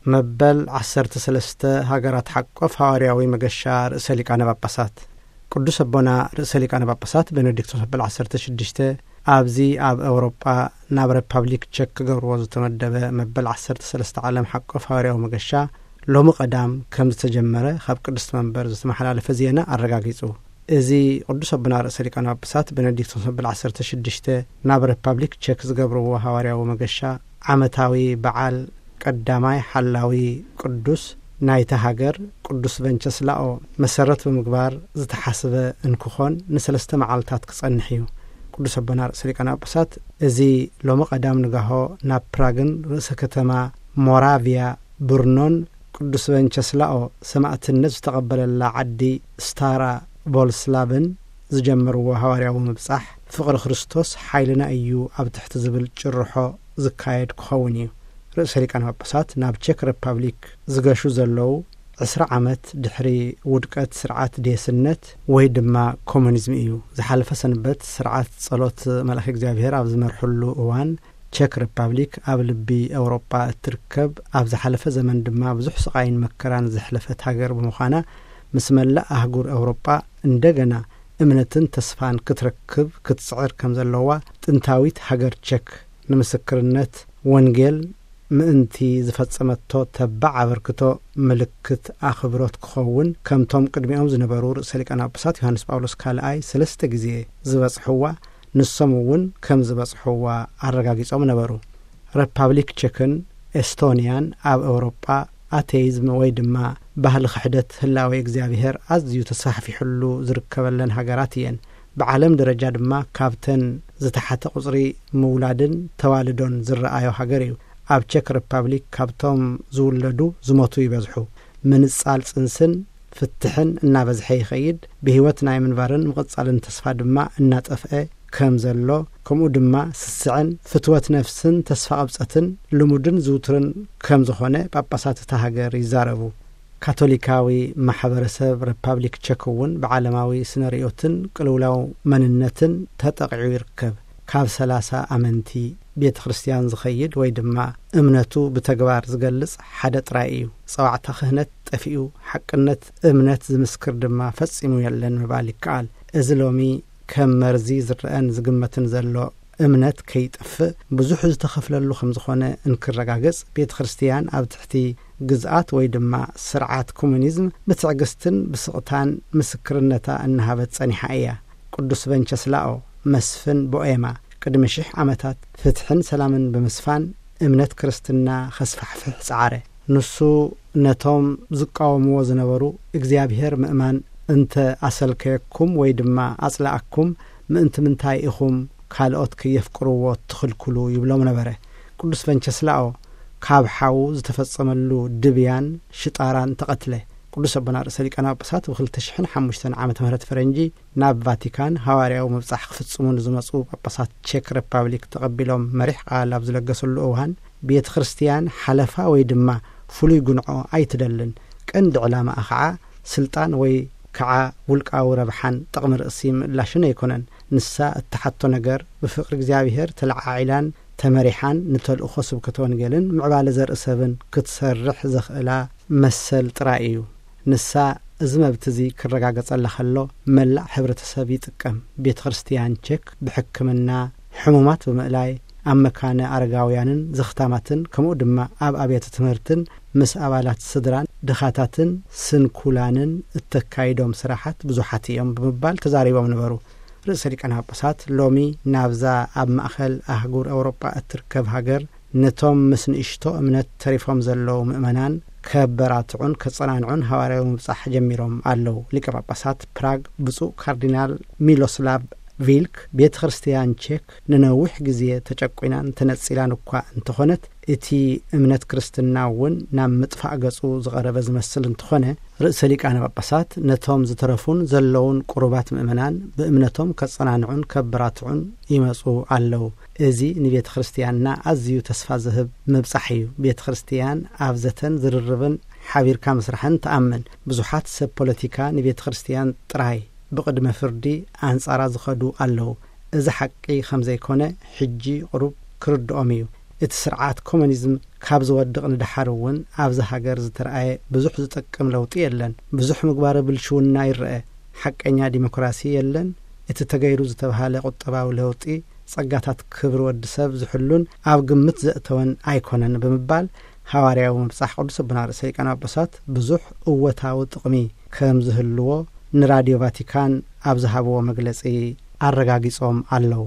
መበል ዓሰርተ ሰለስተ ሃገራት ሓቆፍ ሃዋርያዊ መገሻ ርእሰ ሊቃነ ጳጳሳት። ቅዱስ ኣቦና ርእሰ ሊቃነ ጳጳሳት ቤኔዲክቶስ መበል ዓሰርተ ሽዱሽተ ኣብዚ ኣብ ኤውሮጳ ናብ ሪፓብሊክ ቸክ ክገብርዎ ዝተመደበ መበል ዓሰርተ ሰለስተ ዓለም ሓቆፍ ሃዋርያዊ መገሻ ሎሚ ቀዳም ከም ዝተጀመረ ካብ ቅድስቲ መንበር ዝተመሓላለፈ ዜና ኣረጋጊጹ። እዚ ቅዱስ ኣቦና ርእሰ ሊቃነ ጳጳሳት ቤኔዲክቶስ መበል ዓሰርተ ሽዱሽተ ናብ ሪፓብሊክ ቸክ ዝገብርዎ ሃዋርያዊ መገሻ ዓመታዊ በዓል ቀዳማይ ሓላዊ ቅዱስ ናይታ ሃገር ቅዱስ ቨንቸስላኦ መሰረት ብምግባር ዝተሓስበ እንክኾን ንሰለስተ መዓልታት ክጸንሕ እዩ። ቅዱስ ኣቦና ርእሰ ሊቃነ ጳጳሳት እዚ ሎሚ ቀዳም ንጋሆ ናብ ፕራግን ርእሰ ከተማ ሞራቪያ ብርኖን ቅዱስ ቨንቸስላኦ ሰማእትነት ዝተቐበለላ ዓዲ ስታራ ቮልስላቭን ዝጀመርዎ ሃዋርያዊ ምብጻሕ ፍቕሪ ክርስቶስ ሓይልና እዩ ኣብ ትሕቲ ዝብል ጭርሖ ዝካየድ ክኸውን እዩ። ርእሰ ሊቃነ ጳጳሳት ናብ ቼክ ሪፓብሊክ ዝገሹ ዘለዉ ዕስራ ዓመት ድሕሪ ውድቀት ስርዓት ዴስነት ወይ ድማ ኮሙኒዝም እዩ። ዝሓለፈ ሰንበት ስርዓት ጸሎት መልኣኽ እግዚኣብሔር ኣብ ዝመርሕሉ እዋን ቸክ ሪፓብሊክ ኣብ ልቢ ኤውሮጳ እትርከብ፣ ኣብ ዝሓለፈ ዘመን ድማ ብዙሕ ስቓይን መከራን ዘሕለፈት ሃገር ብምዃና ምስ መላእ ኣህጉር ኤውሮጳ እንደገና እምነትን ተስፋን ክትረክብ ክትጽዕር ከም ዘለዋ ጥንታዊት ሃገር ቸክ ንምስክርነት ወንጌል ምእንቲ ዝፈጸመቶ ተባዕ ኣበርክቶ ምልክት ኣኽብሮት ክኸውን ከምቶም ቅድሚኦም ዝነበሩ ርእሰ ሊቃነ ጳጳሳት ዮሃንስ ጳውሎስ ካልኣይ ሰለስተ ግዜ ዝበጽሕዋ ንሶም እውን ከም ዝበጽሕዋ ኣረጋጊጾም ነበሩ። ሪፓብሊክ ቸክን ኤስቶንያን ኣብ ኤውሮጳ ኣቴይዝም ወይ ድማ ባህሊ ክሕደት ህላዌ እግዚኣብሔር ኣዝዩ ተስፋሕፊሕሉ ዝርከበለን ሃገራት እየን። ብዓለም ደረጃ ድማ ካብተን ዝተሓተ ቁጽሪ ምውላድን ተዋልዶን ዝረኣዮ ሃገር እዩ። ኣብ ቸክ ሪፓብሊክ ካብቶም ዝውለዱ ዝሞቱ ይበዝሑ። ምንጻል ጽንስን ፍትሕን እናበዝሐ ይኸይድ። ብህይወት ናይ ምንባርን ምቕጻልን ተስፋ ድማ እናጠፍአ ከም ዘሎ፣ ከምኡ ድማ ስስዐን ፍትወት ነፍስን ተስፋ ቅብጸትን ልሙድን ዝውቱርን ከም ዝኾነ ጳጳሳት እታ ሃገር ይዛረቡ። ካቶሊካዊ ማሕበረሰብ ሪፓብሊክ ቸክ እውን ብዓለማዊ ስነ ርእዮትን ቅልውላው መንነትን ተጠቒዑ ይርከብ። ካብ ሰላሳ ኣመንቲ ቤተ ክርስቲያን ዝኸይድ ወይ ድማ እምነቱ ብተግባር ዝገልጽ ሓደ ጥራይ እዩ። ጸዋዕታ ክህነት ጠፊኡ፣ ሓቅነት እምነት ዝምስክር ድማ ፈጺሙ የለን ምባል ይከኣል። እዚ ሎሚ ከም መርዚ ዝረአን ዝግመትን ዘሎ እምነት ከይጠፍእ ብዙሕ ዝተኸፍለሉ ከም ዝኾነ እንክረጋገጽ፣ ቤተ ክርስቲያን ኣብ ትሕቲ ግዝኣት ወይ ድማ ስርዓት ኮሙኒዝም ብትዕግስትን ብስቕታን ምስክርነታ እናሃበት ጸኒሓ እያ። ቅዱስ ቨንቸስላኦ መስፍን ቦኤማ ቅድሚ ሽሕ ዓመታት ፍትሕን ሰላምን ብምስፋን እምነት ክርስትና ከስፋሕፍሕ ጸዓረ። ንሱ ነቶም ዝቃወምዎ ዝነበሩ እግዚኣብሔር ምእማን እንተ ኣሰልከየኩም ወይ ድማ ኣጽላኣኩም ምእንቲ ምንታይ ኢኹም ካልኦት ከየፍቅርዎ ትኽልክሉ ይብሎም ነበረ። ቅዱስ ቨንቸስላኦ ካብ ሓዉ ዝተፈጸመሉ ድብያን ሽጣራን ተቐትለ። ቅዱስ ኣቦና ርእሰ ሊቃነ ጳጳሳት ብ ክልተ ሽሕን ሓሙሽተን ዓመተ ምህረት ፈረንጂ ናብ ቫቲካን ሃዋርያዊ ምብጻሕ ክፍጽሙ ንዝመጹ ጳጳሳት ቸክ ሪፓብሊክ ተቐቢሎም መሪሕ ቃል ኣብ ዝለገሰሉ እዋን፣ ቤተ ክርስቲያን ሓለፋ ወይ ድማ ፍሉይ ጉንዖ ኣይትደልን። ቀንዲ ዕላማኣ ኸዓ ስልጣን ወይ ከዓ ውልቃዊ ረብሓን ጥቕሚ ርእሲ ምእላሽን ኣይኮነን። ንሳ እትሓቶ ነገር ብፍቕሪ እግዚኣብሔር ተለዓዒላን ተመሪሓን ንተልእኾ ስብከተ ወንጌልን ምዕባለ ዘርኢ ሰብን ክትሰርሕ ዘኽእላ መሰል ጥራይ እዩ። ንሳ እዚ መብት እዚ ክረጋገጸላ ከሎ መላእ ሕብረተሰብ ይጥቀም። ቤተ ክርስቲያን ቸክ ብሕክምና፣ ሕሙማት ብምእላይ፣ ኣብ መካነ ኣረጋውያንን ዘኽታማትን ከምኡ ድማ ኣብ ኣብያተ ትምህርትን ምስ ኣባላት ስድራን ድኻታትን ስንኩላንን እተካይዶም ስራሓት ብዙሓት እዮም ብምባል ተዛሪቦም ነበሩ። ርእሰ ሊቃነ ጳጳሳት ሎሚ ናብዛ ኣብ ማእኸል ኣህጉር ኤውሮጳ እትርከብ ሃገር ነቶም ምስ ንእሽቶ እምነት ተሪፎም ዘለዉ ምእመናን ከበራትዑን ከጸናንዑን ሃዋርያዊ ምብጻሕ ጀሚሮም ኣለዉ። ሊቀ ጳጳሳት ፕራግ ብፁዕ ካርዲናል ሚሎስላቭ ቪልክ ቤተ ክርስቲያን ቼክ ንነዊሕ ግዜ ተጨቁናን ተነጺላን እኳ እንተኾነት፣ እቲ እምነት ክርስትና እውን ናብ ምጥፋእ ገጹ ዝቐረበ ዝመስል እንተኾነ፣ ርእሰ ሊቃነ ጳጳሳት ነቶም ዝተረፉን ዘለዉን ቁሩባት ምእመናን ብእምነቶም ከጸናንዑን ከበራትዑን ይመጹ ኣለዉ። እዚ ንቤተ ክርስቲያንና ኣዝዩ ተስፋ ዝህብ ምብጻሕ እዩ። ቤተ ክርስቲያን ኣብ ዘተን ዝርርብን ሓቢርካ ምስራሕን ትኣምን። ብዙሓት ሰብ ፖለቲካ ንቤተ ክርስቲያን ጥራይ ብቕድመ ፍርዲ ኣንጻራ ዝኸዱ ኣለዉ። እዚ ሓቂ ከም ዘይኮነ ሕጂ ቁሩብ ክርድኦም እዩ። እቲ ስርዓት ኮሙኒዝም ካብ ዝወድቕ ንደሓር እውን ኣብዚ ሃገር ዝተረኣየ ብዙሕ ዝጠቅም ለውጢ የለን። ብዙሕ ምግባረ ብልሽውና ይረአ። ሓቀኛ ዲሞክራሲ የለን። እቲ ተገይሩ ዝተባሃለ ቁጠባዊ ለውጢ ጸጋታት ክብሪ ወዲ ሰብ ዝሕሉን ኣብ ግምት ዘእተወን ኣይኮነን ብምባል፣ ሃዋርያዊ ምብጻሕ ቅዱስ ኣቦና ርእሰ ሊቃነ ጳጳሳት ብዙሕ እወታዊ ጥቕሚ ከም ዝህልዎ ንራድዮ ቫቲካን ኣብ ዝሃብዎ መግለጺ ኣረጋጊጾም ኣለዉ።